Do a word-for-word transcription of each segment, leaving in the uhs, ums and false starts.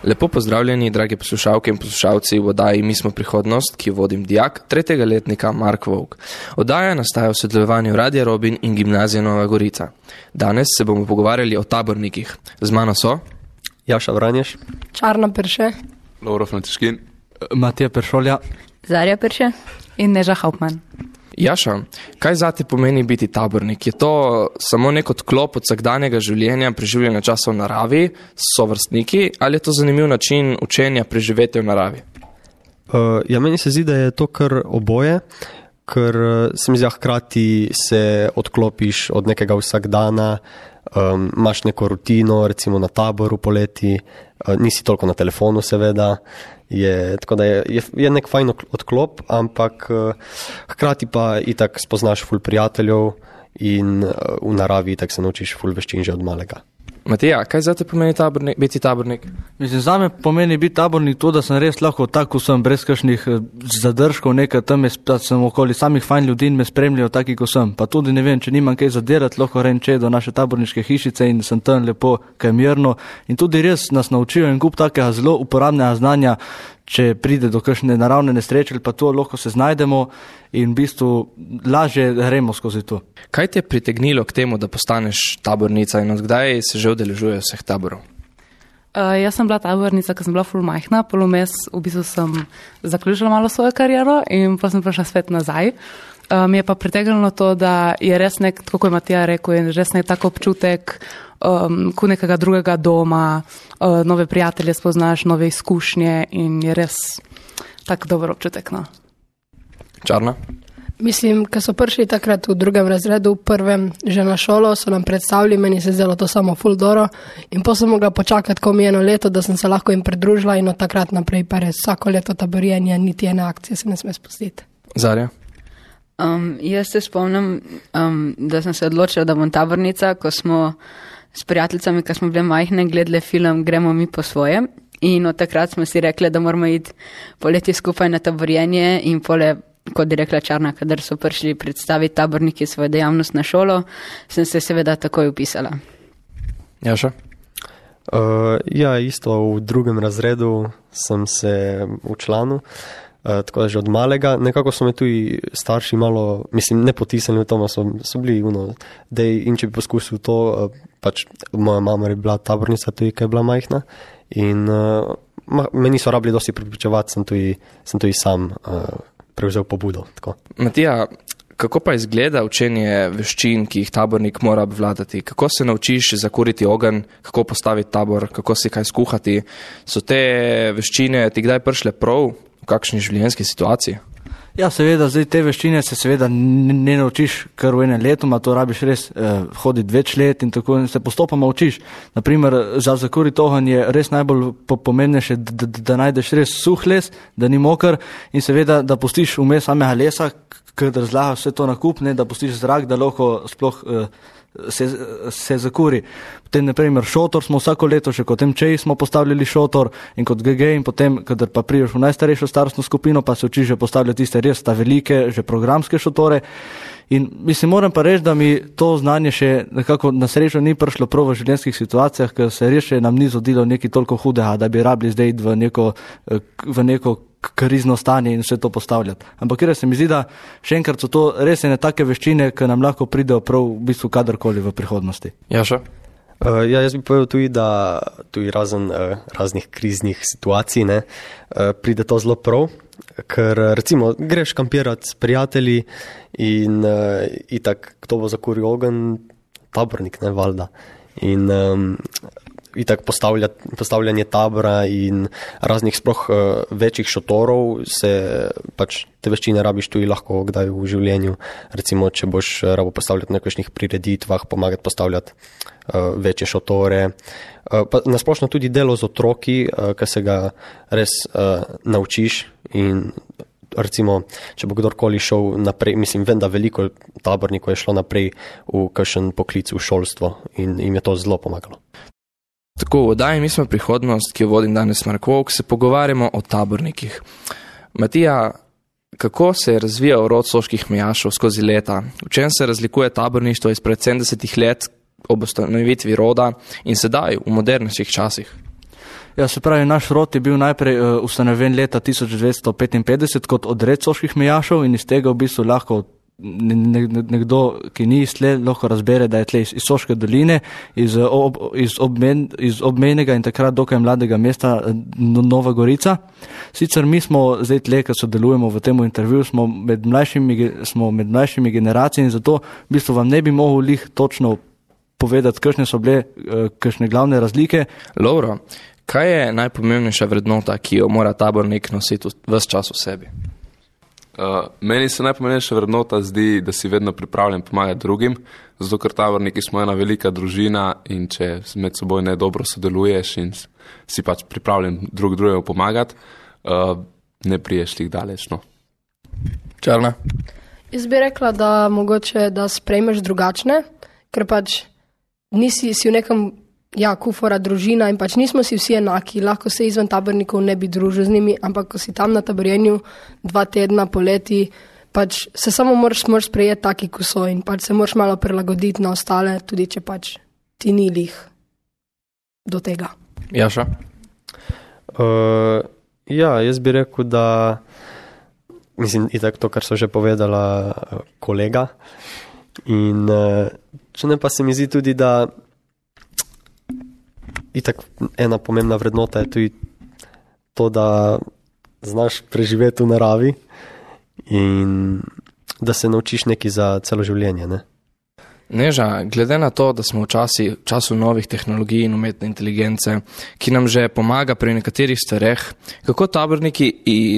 Lepo pozdravljeni, dragi poslušalke in poslušalci v oddaji Mi smo prihodnost, ki jo vodim dijak tretjega letnika Mark Vovk. Oddaja nastaja v sodelovanju Radia Robin in Gimnazije Nova Gorica. Danes se bomo pogovarjali o tabornikih. Z mano so Jaša Vranješ, Čarna Perše, Lovro Františkin, Matija Peršolja, Zarja Perše in Neža Hauptmann. Jaša, kaj zate pomeni biti tabornik? Je to samo nek odklop od vsakdanjega življenja, preživljanja časa v naravi s sovrstniki, ali je to zanimiv način učenja preživetja v naravi? Uh, ja, meni se zdi, da je to kar oboje, ker se mi zdi, hkrati se odklopiš od nekega vsakdana, um, imaš neko rutino, recimo na taboru poleti, uh, nisi toliko na telefonu seveda, je, tako da je, je, je nek fajn odklop, ampak uh, hkrati pa itak spoznaš ful prijateljev in uh, v naravi itak se naučiš ful veščin že od malega. Matija, kaj zate pomeni tabornik, biti tabornik? Mislim, zame pomeni biti tabornik to, da sem res lahko tako sem, brez kakšnih zadržkov, nekaj tam, da sem okoli samih fajn ljudi in me spremljajo taki, ko sem. Pa tudi ne vem, če nimam kaj zadelati, lahko renče do naše taborniške hišice in sem tam lepo, kaj mirno. In tudi res nas naučijo in kup takega zelo uporabnega znanja, če pride do kakšne naravne nesreče, pa to lahko se znajdemo in v bistvu lažje gremo skozi to. Kaj te je pritegnilo k temu, da postaneš tabornica in odkdaj se že udeležuje vseh taborov? Uh, jaz sem bila tabornica, ko sem bila ful majhna, polomes v bistvu sem zaključila malo svojo kariero in pa sem prišla spet nazaj. Uh, mi je pa pritegnilo to, da je res nek, kako je Matija rekel, je res nek tak občutek, um, ko nekega drugega doma, uh, nove prijatelje spoznaš, nove izkušnje in je res tak dober občutek. No. Čarna? Mislim, ko so prišli takrat v drugem razredu, v prvem že na šolo, so nam predstavili, meni se zdelo to samo ful doro in pa sem mogla počakati ko mi eno leto, da sem se lahko jim pridružila in od takrat naprej pa res vsako leto taborjenje, niti ene akcije se ne sme spustiti. Zarja? Um, jaz se spomnim, um, da sem se odločila, da bom tabornica, ko smo s prijateljicami, ko smo bile majhne, gledali film Gremo mi po svoje in od takrat smo si rekli, da moramo iti poleti skupaj na taborjenje in pole, kot je rekla Čarna, kadar so prišli predstaviti taborniki svojo dejavnost na šolo, sem se seveda takoj upisala. Jaša? Uh, ja, isto v drugem razredu sem se včlanil. Uh, tako da že od malega, nekako so me tudi starši malo, mislim, ne potisnili v to, so, so bili uno, dej, in če bi poskusil to, uh, pač moja mama je bila tabornica tudi, kaj je bila majhna in uh, ma, me niso rabili dosti pripričevati, sem tudi, sem tudi sam uh, prevzel pobudo. Tako. Matija, kako pa izgleda učenje veščin, ki jih tabornik mora obvladati? Kako se naučiš zakuriti ogenj, kako postaviti tabor, kako si kaj skuhati? So te veščine ti kdaj prišle prav? V kakšni življenjski situaciji? Ja, seveda, zdaj te veščine se seveda ne, ne naučiš kar v enem letu, to rabiš res eh, hoditi več let in tako in se postopoma učiš. Naprimer, za zakuriti ogenj je res najbolj pomembnejše, da, da, da najdeš res suh les, da ni moker in seveda, da pustiš vmes samega lesa, kadar zlaha vse to nakupne, da pustiš zrak, da lahko sploh eh, se, se zakuri. Potem, naprimer, šotor smo vsako leto, še kot M Č smo postavljali šotor in kot G G in potem, kadar pa priješ v najstarejšo starostno skupino, pa se učiš že postavljati tiste res ta velike, že programske šotore. In mislim, moram pa reči, da mi to znanje še nekako na srečo ni prišlo prav v življenjskih situacijah, ker se res še nam ni zgodilo nekaj toliko hudega, da bi rabili zdaj v neko, v neko krizno stanje in vse to postavljati. Ampak ker se mi zdi, da še enkrat so to res ene take veščine, ki nam lahko pridejo prav v bistvu kadarkoli v prihodnosti. Jaša? Uh, ja, jaz bi povedal tudi, da tudi razen uh, raznih kriznih situacij ne, uh, pride to zelo prav, ker recimo greš kampirati s prijatelji in uh, itak, kdo bo zakuril ogenj, tabornik, ne, valjda. In um, itak postavljanje tabora in raznih sploh uh, večjih šotorov se pač te veščine rabiš tudi lahko kdaj v življenju. Recimo, če boš rabo postavljati na nekakšnih prireditvah, pomagati postavljati uh, večje šotore. Uh, pa nasplošno tudi delo z otroki, uh, ki se ga res uh, naučiš in recimo, če bo kdorkoli šel naprej, mislim, vem, da veliko tabornikov je šlo naprej v kakšen poklic v šolstvo in jim je to zelo pomagalo. Tako, v oddaji Mi smo prihodnost, ki jo vodim danes Mark Vovk, se pogovarjamo o tabornikih. Matija, kako se je razvijal rod soških mejašev skozi leta? V čem se razlikuje taborništvo izpred sedemdesetih let ob ustanovitvi roda in sedaj v modernejših časih? Ja, se pravi, naš rod je bil najprej uh, ustanovljen leta tisoč devetsto petinpetdeset kot odred soških mejašev in iz tega v bistvu lahko ne, ne, nekdo, ki ni iz tle, lahko razbere, da je tle iz, iz Soške doline, iz, ob, iz, obmen, iz obmejnega in takrat dokaj mladega mesta Nova Gorica. Sicer mi smo zdaj tle, ki sodelujemo v tem intervjuju, smo med mlajšimi, smo med mlajšimi generacijami, zato v bistvu vam ne bi mogel lih točno povedati, kakšne so bile, kakšne glavne razlike. Lovro, kaj je najpomembnejša vrednota, ki jo mora tabornik nositi ves čas v sebi? Uh, meni se najpomembnejša vrednota zdi, da si vedno pripravljen pomagati drugim, zato ker taborniki smo ena velika družina in če med seboj ne dobro sodeluješ in si pač pripravljen drug drugemu pomagati, uh, ne priješ tih daleč. No. Čarna? Jaz bi rekla, da mogoče, da sprejmeš drugačne, ker pač nisi si v nekem, ja, kufora družina in pač nismo si vsi enaki, lahko se izven tabornikov ne bi družil z njimi, ampak ko si tam na taborjenju dva tedna poleti, pač se samo moraš, moraš sprejeti taki, ko so in pač se moraš malo prilagoditi na ostale, tudi če pač ti ni lih do tega. Jaša? Uh, ja, jaz bi rekel, da mislim, itak to, kar so že povedala kolega in uh, če ne pa se mi zdi tudi, da itak ena pomembna vrednota je tudi to, da znaš preživeti v naravi in da se naučiš nekaj za celo življenje. Ne? Neža, glede na to, da smo v časi, času novih tehnologij in umetne inteligence, ki nam že pomaga pri nekaterih stvareh, kako taborniki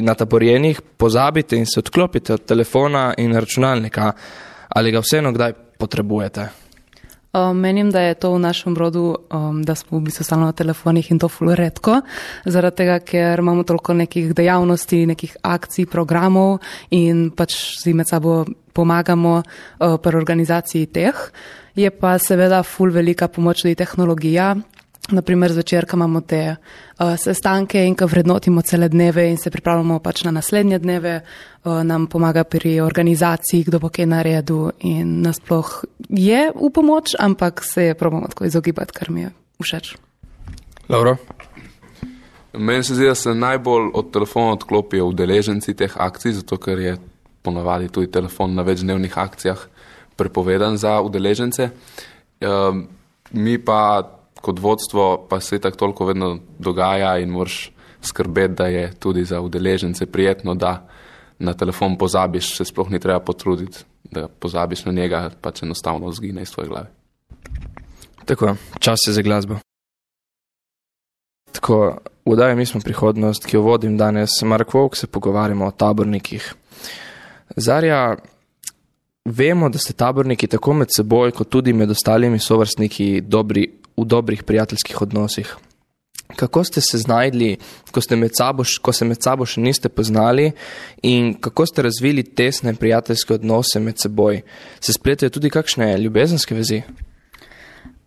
na taborjenih pozabite in se odklopite od telefona in računalnika, ali ga vseeno kdaj potrebujete? Um, menim, da je to v našem rodu, um, da smo v bistvu stalno na telefonih in to ful redko, zaradi tega, ker imamo toliko nekih dejavnosti, nekih akcij, programov in pač si med sabo pomagamo uh, pri organizaciji teh. Je pa seveda ful velika pomoč tudi tehnologija. Naprimer, zvečer, ko imamo te uh, sestanke in ko vrednotimo cele dneve in se pripravljamo pač na naslednje dneve, uh, nam pomaga pri organizaciji, kdo bo kaj naredil in nasploh je v pomoč, ampak se je probamo tako izogibati, kar mi je všeč. Dobro. Meni se zdi, da se najbolj od telefona odklopijo udeleženci teh akcij, zato ker je ponavadi tudi telefon na večdnevnih akcijah prepovedan za udeležence. Uh, mi pa kot vodstvo pa se tako toliko vedno dogaja in moraš skrbeti, da je tudi za udeležence prijetno, da na telefon pozabiš, se sploh ni treba potruditi, da pozabiš na njega, pač enostavno zgine iz tvoje glave. Tako, čas je za glasbo. Tako, v oddaji Mi smo prihodnost, ki jo vodim danes, Mark Vovk, se pogovarjamo o tabornikih. Zarja, vemo, da ste taborniki tako med seboj, kot tudi med ostalimi sovrstniki dobri v dobrih prijateljskih odnosih. Kako ste se znajdli, ko, ste med sabo, ko se med sabo še niste poznali in kako ste razvili tesne prijateljske odnose med seboj? Se spletajo tudi kakšne ljubezenske vezi?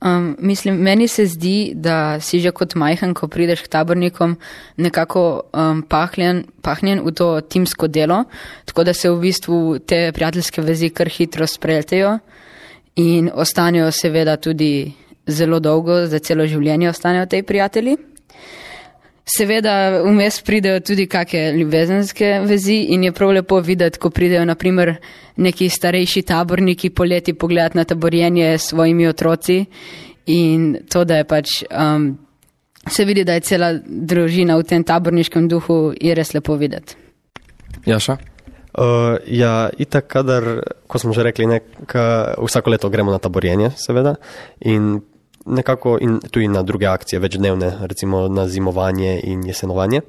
Um, mislim, meni se zdi, da si že kot majhen, ko prideš k tabornikom, nekako um, pahnjen, pahnjen v to timsko delo, tako da se v bistvu te prijateljske vezi kar hitro spreltejo in ostanejo seveda tudi zelo dolgo, za celo življenje ostanejo tej prijatelji. Seveda vmes pridejo tudi kakšne ljubezenske vezi in je prav lepo videti, ko pridejo naprimer neki starejši taborniki poleti pogledati na taborjenje s svojimi otroci in to, da je pač um, se vidi, da je cela družina v tem taborniškem duhu, je res lepo videti. Jaša? Uh, ja, itak, kadar, ko smo že rekli, nek, vsako leto gremo na taborjenje, seveda, in nekako in tudi na druge akcije, večdnevne, recimo na zimovanje in jesenovanje.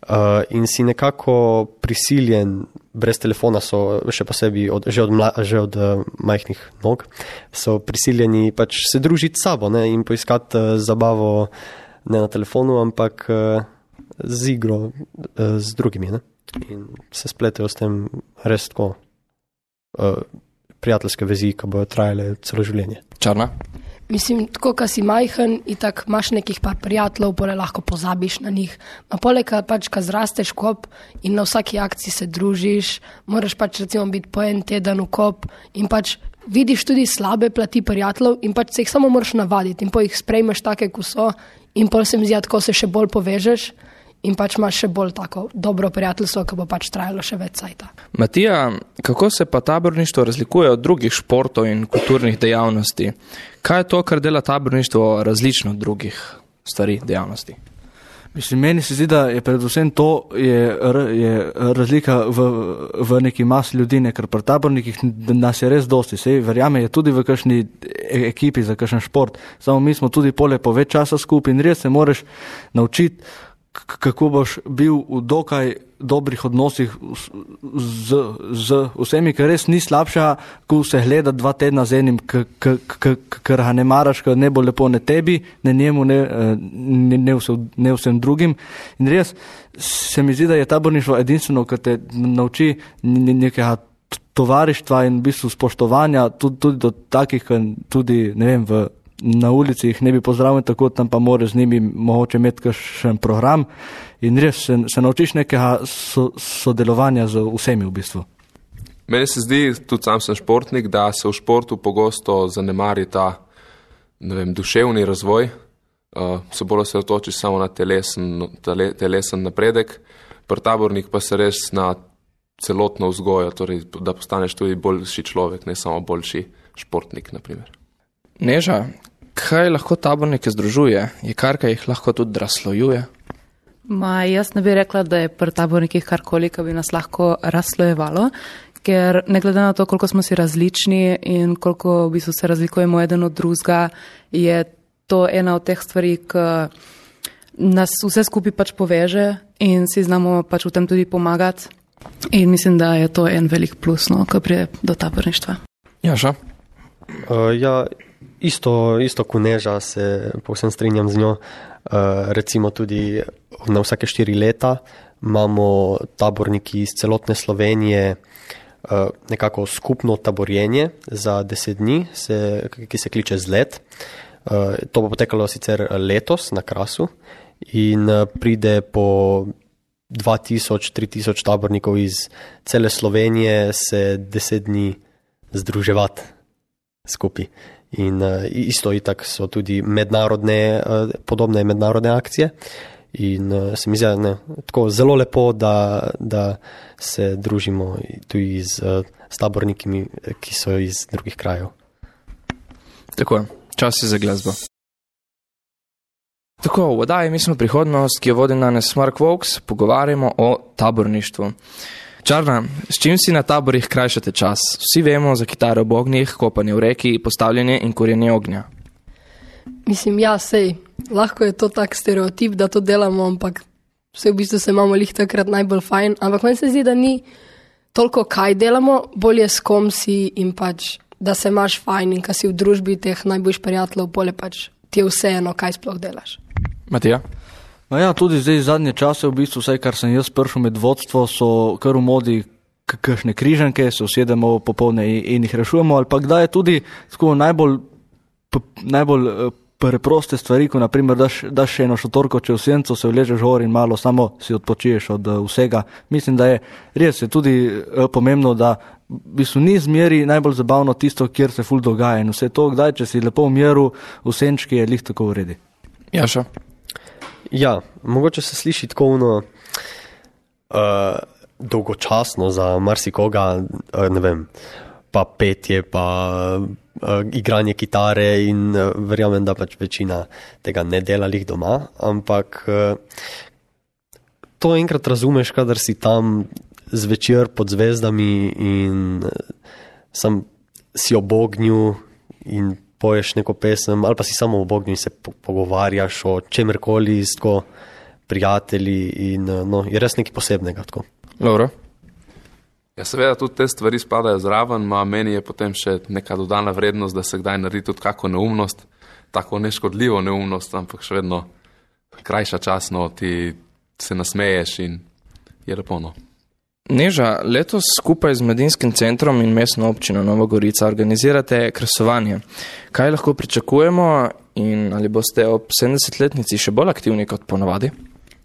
Uh, in si nekako prisiljen, brez telefona so še posebej od, že od, mla, že od uh, majhnih nog, so prisiljeni pač se družiti s sabo, ne, in poiskati uh, zabavo ne na telefonu, ampak uh, z igro uh, z drugimi, ne. In se spletajo s tem res tako uh, prijateljske vezi, ki bojo trajale celo življenje. Čarna? Mislim, tako, ko si majhen in tako imaš nekih par prijateljev, pole lahko pozabiš na njih. Ma poleg pač, ko zrasteš kop in na vsaki akciji se družiš, moraš pač recimo biti po en teden v kop in pač vidiš tudi slabe plati prijateljev in pač se jih samo moraš navaditi in po jih sprejmeš take, ko so in pol se mi zdi, tako se še bolj povežeš in pač imaš še bolj tako dobro prijateljstvo, ki bo pač trajalo še več cajta. Matija, kako se pa taborništvo razlikuje od drugih športov in kulturnih dejavnosti? Kaj je to, kar dela taborništvo različno od drugih stvari, dejavnosti? Mislim, meni se zdi, da je predvsem to je, je razlika v, v neki masi ljudi, ne, ker pri tabornikih nas je res dosti. Sej, verjame, je tudi v kakšni ekipi za kakšen šport. Samo mi smo tudi pole po več časa skupaj in res se moraš naučiti, kako boš bil v dokaj dobrih odnosih z, z vsemi, ker res ni slabša, ko se gleda dva tedna z enim, ker ga ne maraš, ker ne bo lepo ne tebi, ne njemu, ne, ne, ne, vsem, ne vsem drugim. In res se mi zdi, da je taborništvo edinstveno, ker te nauči nekega tovarištva in v bistvu spoštovanja tudi, tudi do takih, tudi, ne vem, v na ulici jih ne bi pozdravil tako, tam pa moraš z njimi mogoče imeti kakšen program in res se, se naučiš nekega so, sodelovanja z vsemi v bistvu. Meni se zdi, tudi sam sem športnik, da se v športu pogosto zanemari ta, ne vem, duševni razvoj, uh, se bolj se otočiš samo na telesen, tele, telesen napredek, pri tabornik pa se res na celotno vzgojo, torej da postaneš tudi boljši človek, ne samo boljši športnik, na primer. Neža, kaj lahko tabornike združuje? Je kar, kaj jih lahko tudi razslojuje? Ma, jaz ne bi rekla, da je pri tabornikih karkoli, ki bi nas lahko razslojevalo, ker ne glede na to, koliko smo si različni in koliko v bistvu se razlikujemo eden od drugega, je to ena od teh stvari, ki nas vse skupaj pač poveže in si znamo pač v tem tudi pomagati. In mislim, da je to en velik plus, no, ko pride do taborništva. Jaša? Uh, ja, Isto, isto kot Neža, se povsem strinjam z njo. Uh, recimo tudi na vsake štiri leta imamo taborniki iz celotne Slovenije uh, nekako skupno taborjenje za deset dni, se, ki se kliče Zlet. Uh, to bo potekalo sicer letos na Krasu in uh, pride po dva tisoč, tri tisoč tabornikov iz cele Slovenije se deset dni združevati skupaj. In uh, isto itak so tudi mednarodne, uh, podobne mednarodne akcije in uh, se mi zdi, ne, tako zelo lepo, da, da se družimo tudi z, uh, s taborniki, ki so iz drugih krajev. Tako, čas je za glasbo. Tako, v oddaji Mi smo prihodnost, ki jo vodi danes Mark Vokes, pogovarjamo o taborništvu. Čarna, s čim si na taborih krajšate čas? Vsi vemo za kitaro ob ognjih, kopanje v reki, postavljanje in kurjenje ognja. Mislim, ja, sej, lahko je to tak stereotip, da to delamo, ampak vse v bistvu se imamo lih takrat najbolj fajn, ampak meni se zdi, da ni toliko kaj delamo, bolje s kom si in pač, da se imaš fajn in ka si v družbi teh najboljš prijateljev, bolje pač ti je vseeno, kaj sploh delaš. Matija? No ja, tudi zdaj zadnje čase, v bistvu vsaj, kar sem jaz prišel med vodstvo, so kar v modi kakšne križanke, se usedemo popolne in jih rešujemo, ali pa kdaj je tudi tako najbolj, najbolj preproste stvari, ko naprimer daš, daš eno šotorko čez senco, se vležeš gor in malo samo si odpočiješ od vsega. Mislim, da je res je tudi pomembno, da v bistvu ni zmeri najbolj zabavno tisto, kjer se ful dogaja in vse to, kdaj, če si lepo v miru, v senčki je lih tako v redi. Jaša? Ja, mogoče se sliši tako ono uh, dolgočasno za marsikoga, uh, ne vem, pa petje, pa uh, igranje kitare in uh, verjamem, da pač večina tega ne dela lih doma, ampak uh, to enkrat razumeš, kadar si tam zvečer pod zvezdami in uh, sam si ob ognju in poješ neko pesem, ali pa si samo v ognju in se pogovarjaš o čemerkoli s tako prijatelji in no, je res nekaj posebnega. Tako. Dobro. Ja, seveda tudi te stvari spadajo zraven, ma meni je potem še neka dodana vrednost, da se kdaj naredi tudi kako neumnost, tako neškodljivo neumnost, ampak še vedno krajša časno, ti se nasmeješ in je lepo. No. Neža, letos skupaj z Mladinskim centrom in mestno občino Nova Gorica organizirate kresovanje. Kaj lahko pričakujemo in ali boste ob sedemdesetletnici še bolj aktivni kot ponavadi?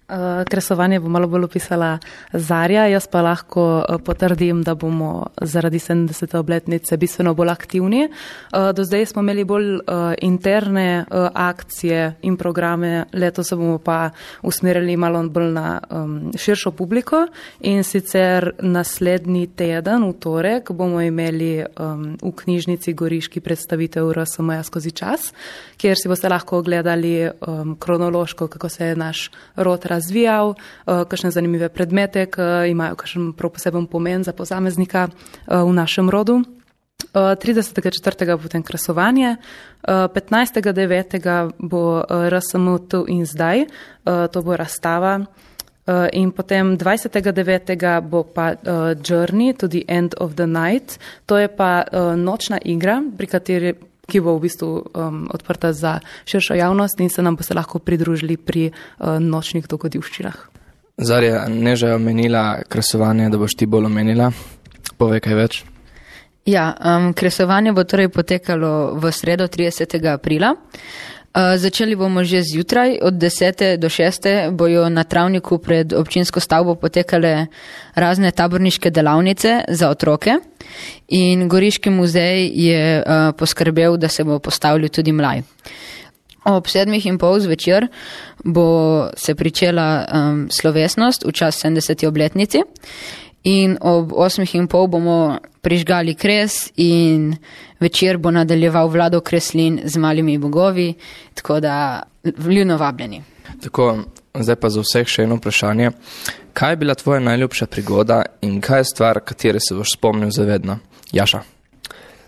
Uh, kresovanje bo malo bolj opisala Zarja, jaz pa lahko uh, potrdim, da bomo zaradi sedemdesete obletnice bistveno bolj aktivni. Uh, do zdaj smo imeli bolj uh, interne uh, akcije in programe, letos se bomo pa usmerili malo bolj na um, širšo publiko in sicer naslednji teden, v torek, bomo imeli um, v knjižnici Goriški predstavitev R S M-ja skozi čas, kjer si boste lahko ogledali um, kronološko, kako se je naš rod razvijal, uh, kakšne zanimive predmete, ki imajo kakšen prav poseben pomen za posameznika uh, v našem rodu. Uh, tridesetega četrtega bo potem kresovanje, uh, petnajstega devetega bo uh, R S M tu in zdaj, uh, to bo razstava. Uh, in potem dvajsetega devetega bo pa uh, Journey to the End of the Night, to je pa uh, nočna igra, pri kateri ki bo v bistvu um, odprta za širšo javnost in se nam bo se lahko pridružili pri uh, nočnih dogodivščinah. Zarja, Neža je omenila kresovanje, da boš ti bolj omenila. Povej kaj več. Ja, um, kresovanje bo torej potekalo v sredo tridesetega aprila. Uh, začeli bomo že zjutraj, od desete do šeste bojo na travniku pred občinsko stavbo potekale razne taborniške delavnice za otroke in Goriški muzej je uh, poskrbel, da se bo postavil tudi mlaj. Ob sedmih in pol zvečer bo se pričela um, slovesnost v čas sedemdeseti obletnici in ob osmih in pol bomo prižgali kres in večer bo nadaljeval Vlado Kreslin z malimi bogovi, tako da vljudno vabljeni. Tako, zdaj pa za vseh še eno vprašanje. Kaj je bila tvoja najljubša prigoda in kaj je stvar, katere se boš spomnil zavedno? Jaša.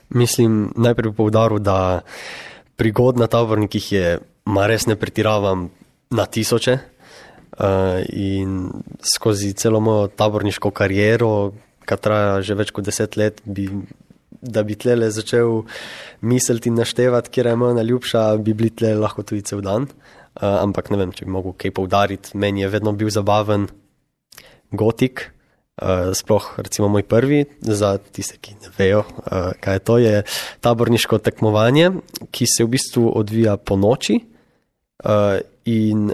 Mislim, najprej bi poudaril, da prigod na tabornikih je, ma res ne pretiravam, na tisoče. Uh, in skozi celo mojo taborniško kariero, ki traja že več kot deset let, bi, da bi tlele začel misliti in naštevati, kjer je moja najljubša, bi bili tlele lahko tudi cel dan. Uh, ampak ne vem, če bi mogel kaj poudariti. Meni je vedno bil zabaven gotik, uh, sploh recimo moj prvi, za tiste, ki ne vejo, uh, kaj je to, je taborniško tekmovanje, ki se v bistvu odvija po noči uh, in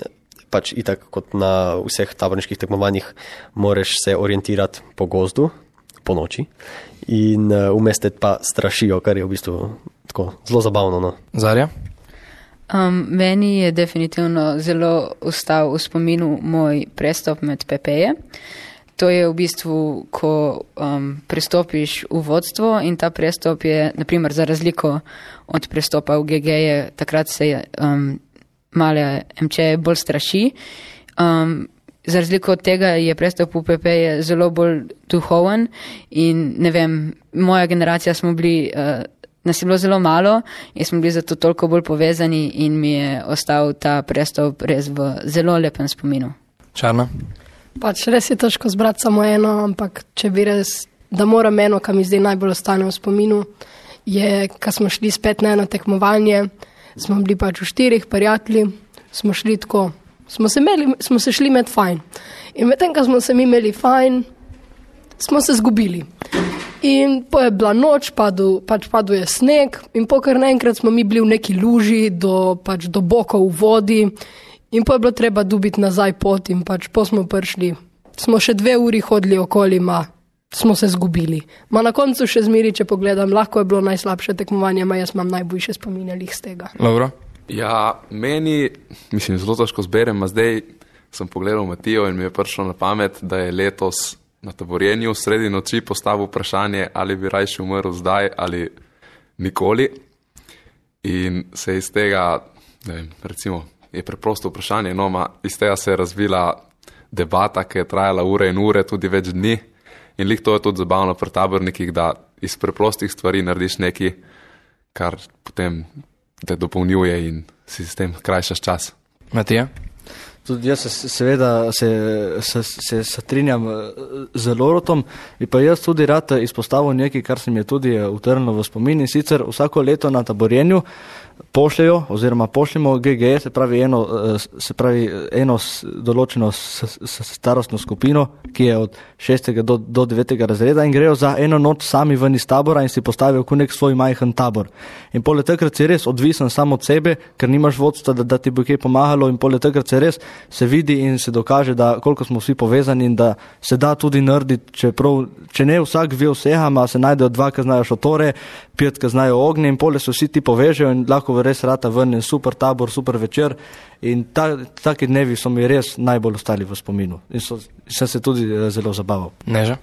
pač itak kot na vseh taborniških tekmovanjih moraš se orientirati po gozdu, po noči in uh, vmes te pa strašijo, kar je v bistvu tako zelo zabavno. No. Zarja? Um, meni je definitivno zelo ostal v spominu moj prestop med P P-je. To je v bistvu, ko um, prestopiš v vodstvo in ta prestop je, naprimer, za razliko od prestopa v G G-je, takrat se je um, male M Č bolj straši. Um, za razliko od tega je prestop v P P je zelo bolj duhoven in ne vem, moja generacija smo bili, uh, nas je bilo zelo malo in smo bili zato toliko bolj povezani in mi je ostal ta prestop res v zelo lepem spominu. Čarna? Pač res je težko zbrati samo eno, ampak če bi res, da moram eno, kar mi zdaj najbolj ostane v spominu, je, ko smo šli spet na eno tekmovanje, smo bili pač v štirih prijatelji, smo šli tako, smo se, imeli, smo se šli med fajn. In medtem, ko smo se mi imeli fajn, smo se zgubili. In po je bila noč, padel, pač padel je sneg in po kar naenkrat smo mi bili v neki luži do, pač do bokov v vodi in po je bilo treba dobiti nazaj pot in pač po smo prišli. Smo še dve uri hodili okoli, ma smo se zgubili. Ma na koncu še zmeri, če pogledam, lahko je bilo najslabše tekmovanje, ma jaz imam najboljše spominjalih z tega. Dobro. Ja, meni, mislim, zelo težko zberem, a zdaj sem pogledal Matijo in mi je prišlo na pamet, da je letos na taborjenju sredi noči postavil vprašanje, ali bi rajši umrl zdaj ali nikoli. In se iz tega, ne vem, recimo, je preprosto vprašanje, no, ma iz tega se je razvila debata, ki je trajala ure in ure, tudi več dni. In lik to je tudi zabavno pri tabornikih, da iz preprostih stvari narediš nekaj, kar potem te dopolnjuje in si s tem krajšaš čas. Matija? Tudi jaz se, seveda se, se, se strinjam z Loretom, in pa jaz tudi rad izpostavil nekaj, kar se mi je tudi utrnilo v spomin, in sicer vsako leto na taborjenju pošljajo oziroma pošljemo G G, se pravi eno, se pravi eno določeno starostno skupino, ki je od šestega do, do devetega razreda in grejo za eno noč sami ven iz tabora in si postavijo kot nek svoj majhen tabor. In poleg takrat si res odvisen samo od sebe, ker nimaš vodstva, da, da ti bo kaj pomagalo in poleg takrat se res se vidi in se dokaže, da koliko smo vsi povezani in da se da tudi narediti, čeprav, če ne vsak ve vsega, ma se najdejo dva, ki znajo šotore, pet, ki znajo ognje in pole se vsi ti povežejo in lahko res rata ven in super tabor, super večer. In ta, taki dnevi so mi res najbolj ostali v spominu in so, sem se tudi zelo zabaval. Neža?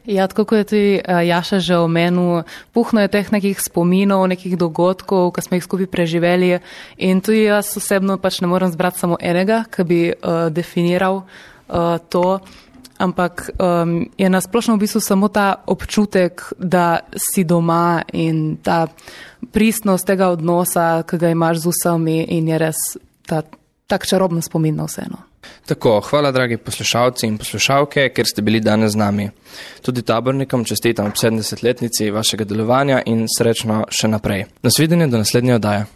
Ja, tako kot je tudi uh, Jaša že omenil, puhno je teh nekih spominov, nekih dogodkov, ki smo jih skupaj preživeli in tudi jaz osebno pač ne morem zbrati samo enega, ki bi uh, definiral uh, to, ampak um, je nasplošno v bistvu samo ta občutek, da si doma in ta pristnost tega odnosa, ki ga imaš z vsemi in je res ta tak čaroben spomin na vseeno. Tako, hvala dragi poslušalci in poslušalke, ker ste bili danes z nami. Tudi tabornikom čestitam ob sedemdesetletnici vašega delovanja in srečno še naprej. Nasvidenje do naslednje oddaje.